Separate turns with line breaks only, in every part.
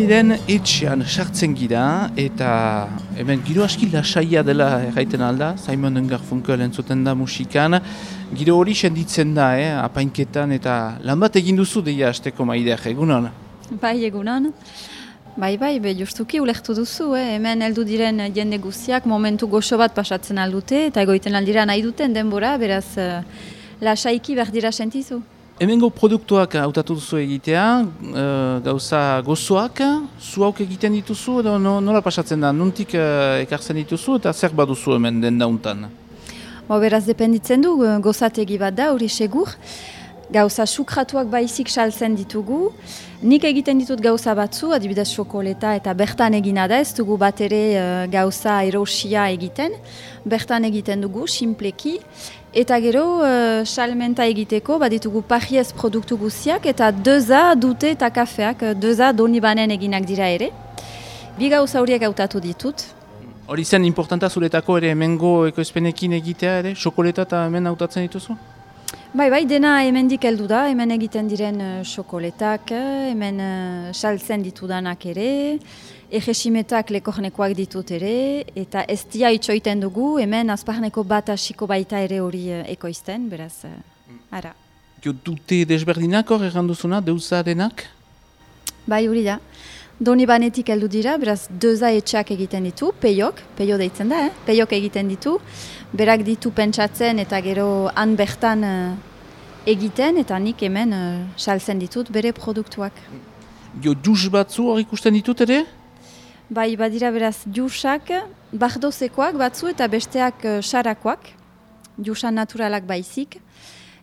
diren etxean sartzen gira eta hemen giro aski lasaia dela erraiten alda, Simon & Garfunkel entzuten da musikan, giro hori senditzen da, apainketan eta lan bat egin duzu deia asteko Maider, egunon?
Bai, egunon. Bai, justuki ulertu duzu, hemen heldu diren jende guztiak momentu goxo bat pasatzen aldute eta egoiten aldira nahi duten denbora, beraz lasaiki behar dira sentizu.
Hemengo produktuak hautatu duzu egitea, gauza gozoak, zuauk egiten dituzu edo nola pasatzen da, nuntik ekartzen dituzu eta zer baduzu hemen den dauntan?
Beraz dependitzen du, gozategi bat da, hori segur. Gauza sukratuak baizik saltzen ditugu. Nik egiten ditut gauza batzu, adibidez xokoleta eta bertan egina da, ez dugu bat ere gauza erosia egiten. Bertan egiten dugu, simpleki. Eta gero, salmenta egiteko, baditugu pajiez produktu guztiak eta deza dute eta kafeak, deza Donibanen eginak dira ere. Bi gauza horiek hautatu ditut.
Hori zen importanta zuretako ere hemengo ekoizpenekin egitea ere, xokoleta eta hemen hautatzen dituzu?
Bai, dena hemendik heldu da, hemen egiten diren xokoletak, hemen saltzen ditudanak ere, egesimetak lekornekoak ditut ere, eta ez dia itxoiten dugu, hemen azparneko bat hasiko baita ere hori ekoizten, beraz, ara.
Dute desberdinak hor erranduzuna, deuza denak?
Bai, hori da. Donibanetik heldu dira, beraz, deuza etxak egiten ditu, peio deitzen da, peiok egiten ditu, berak ditu pentsatzen eta gero han bertan egiten, eta nik hemen saltzen ditut bere produktuak.
Jus batzu hor ikusten ditut ere?
Bai, badira beraz, jusak, bardozekoak batzu eta besteak sarakoak, jusan naturalak baizik,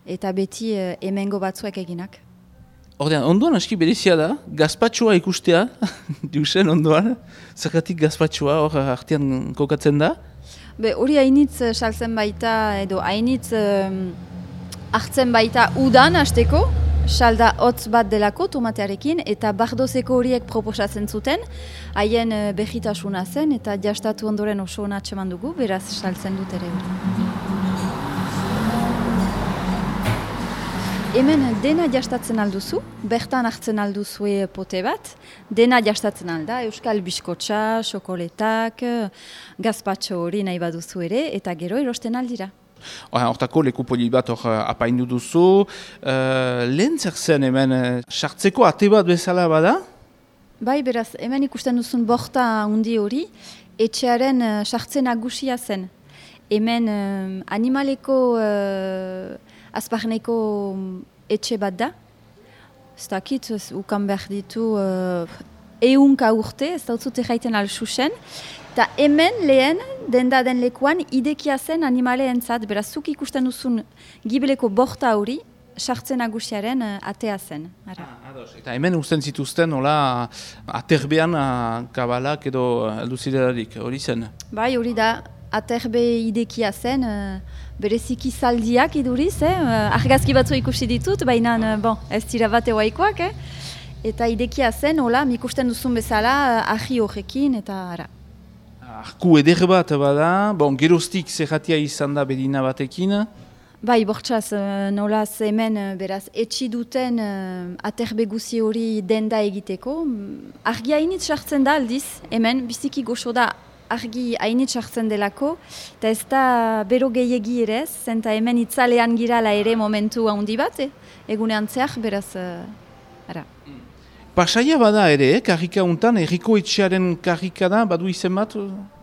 eta beti hemengo batzuek eginak.
Ordean, ondoan aski berezia da, gazpatxoa ikustea, jusen ondoan, zergatik gazpatxoa hor artean kokatzen da?
Hori hainitz saltzen baita, edo hainitz hartzen baita udan hasteko, salda hotz bat delako tomatearekin, eta bardozeko horiek proposatzen zuten, haien behitasuna zen, eta jastatu ondoren oso ona atseman dugu, beraz saltzen dut ere hori. Hemen dena jastatzen alduzu, bertan hartzen alduzue pote bat, dena jastatzen alda, euskal biskotxa, xokoletak, gazpatxo hori nahi baduzu ere, eta gero erosten aldira.
Hortako leku poli bat apaindu duzu, lehen zer zen hemen sartzeko ate bat bezala bada?
Bai, beraz, hemen ikusten duzun borta undi hori, etxearen sartzen nagusia zen. Hemen animaleko azparneko etxe bat da. Ez dakit, ukan behar ditu ehunka urte, ez dautzute jaiten alxusen. Eta hemen lehen, denda den lekuan, idekia zen animaleentzat, beraz, zuk ikusten duzun gibeleko borta hori, sartzen nagusiaren atea zen.
Eta hemen usten zituzten, hola, aterbean kabalak edo alduziderarik, hori zen?
Bai, hori da. Aterbe idekia zen, bereziki zaldiak iduriz, argazki batzu ikusi ditut, baina ez dira bat ewaikoak, eta idekia zen, hola, ikusten duzun bezala, ahi horrekin, eta ara.
Arku eder bat bada, geroztik zerratia izan da bedina batekin?
Bai, bortxaz, nolaz hemen, beraz, etxi duten aterbe guzi hori denda egiteko. Argia hainitz sartzen da aldiz, hemen, biziki goxo da, argi hainitz hartzen delako, eta ez da bero gehiegi ere ez, zenta hemen itzalean girala ere momentu handi bat, egunean zehar, beraz, ara.
Pasaia bada ere, karrika untan, erriko etxearen karrika da, badu izen bat,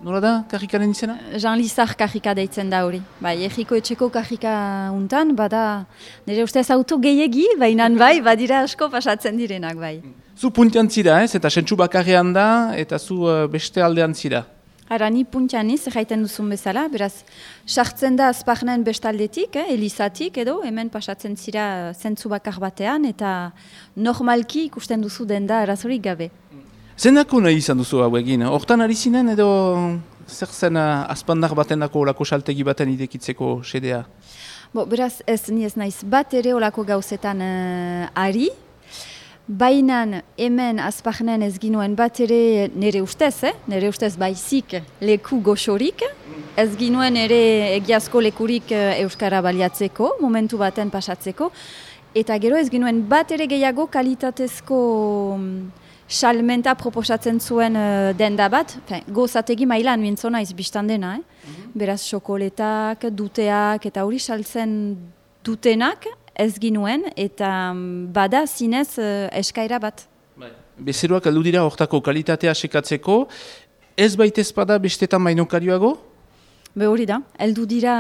nola da karrikaren izena?
Jean Lizar karrika deitzen da hori. Bai, erriko etxeko karrika untan, bada, nire ustez auto gehiegi, baina bai, badira asko pasatzen direnak, bai.
Zu puntian zira, ez? Eta sentsu bakarrean da, eta zu beste aldean zira.
Ara, ni puntianiz, jaiten duzun bezala, beraz, sartzen da azparnen bestaldetik, elizatik edo, hemen pasatzen zira zentzu bakar batean, eta normalki ikusten duzu denda arazorik gabe.
Zendako nahi izan duzu hau egin? Hortan ari zinen edo zer zen azpandar baten dako olako saltegi baten idekitzeko sedea?
Beraz, ni ez naiz bat ere olako gauzetan ari, bainan hemen azparnen ez ginuen bat ere nire ustez baizik leku goxorik, ez ginuen ere egiazko lekurik euskara baliatzeko, momentu baten pasatzeko, eta gero ez ginuen bat ere gehiago kalitatezko salmenta proposatzen zuen denda bat, gozategi mailan mintzo naiz biztan dena, beraz xokoletak, duteak eta hori saltzen dutenak ez ginuen eta bada zinez eskaira bat.
Bezeroak aldu dira hortako kalitatea sekatzeko, ez baitez bada bestetan bainokarioago?
Hori da, heldu dira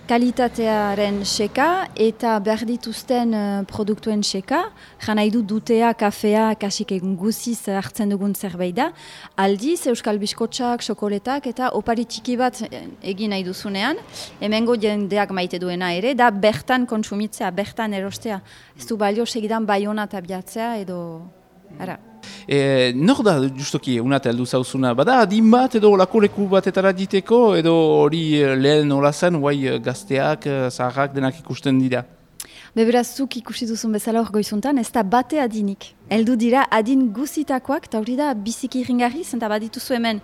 kalitatearen seka eta behar dituzten produktuen seka, jan nahi dutea, kafea, kasik egun guziz hartzen dugun zerbait da, aldiz euskal biskotxak, xokoletak eta opari txiki bat egin nahi duzunean, hemengo jendeak maite duena ere, da bertan kontsumitzea, bertan erostea, ez du balio segidan Baiona tabiatzea edo... Ara.
Nor da justoki unat heldu zauzuna, bada adin bat edo olako leku batetara diteko edo hori lehen hola zen, guai gazteak, zaharrak denak ikusten dira?
Beraz zuk ikusi duzun bezala hor goizuntan, ez da bate adinik. Heldu dira adin guzitakoak, eta hori da biziki ringarri, zenta badituzu hemen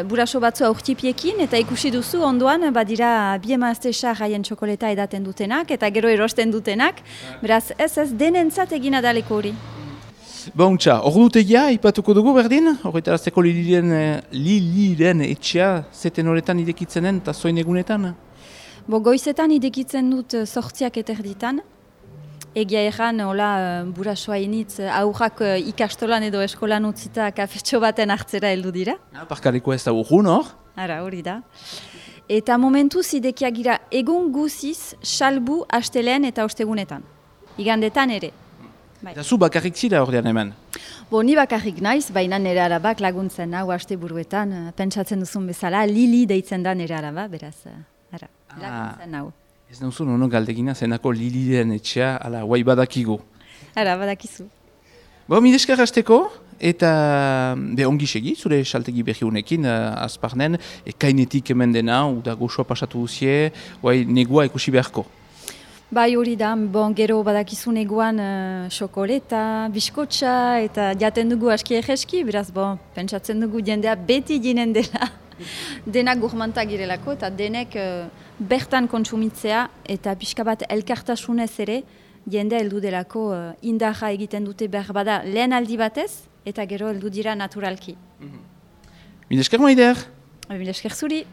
buraso batzu aurtipiekin, eta ikusi duzu ondoan badira bi emazte haien txokoleta edaten dutenak, eta gero erosten dutenak, beraz ez denentzat egina daleko hori.
Bontxa, ordutegia ipatuko dugu berdin, horretarazteko Liliren etxea zeten horretan idekitzenen eta zoin egunetan?
Goizetan idekitzen dut 8 eterditan. Egia erran, hola, burasoa initz, aurrak ikastolan edo eskolan utzita kafetxo baten hartzera heldu dira.
Parkaleko ez da urrun hor?
Ara, hori da. Eta momentuz idekiak gira egun guziz, salbu, astelean eta ostegunetan. Igandetan ere.
Eta zu bakarrik zira ordean hemen?
Ni bakarrik naiz, baina nire arabak laguntzen hau aste buruetan, pentsatzen duzun bezala, Lili deitzen da nire araba, beraz, laguntzen hau.
Ez nauzun ono galdegina zenako Liliren etxea, ala, guai badakigu.
Ara, badakizu.
Mideskar hasteko, eta ongi segi, zure saltegi berri honekin, azparnen, kainetik hemen dena, uda goxoa pasatu duzie, guai negua ikusi beharko.
Bai hori da, gero badakizu neguan xokoleta, biskotxa eta jaten dugu aski egeski, beraz pentsatzen dugu jendea beti ginen dela. Denak gourmantak girelako eta denek bertan kontsumitzea eta pixka bat elkartasunez ere jendea heldu delako indarra egiten dute behar bada lehen aldi batez eta gero heldu dira naturalki.
Mil esker Maider!
Mil esker zuri!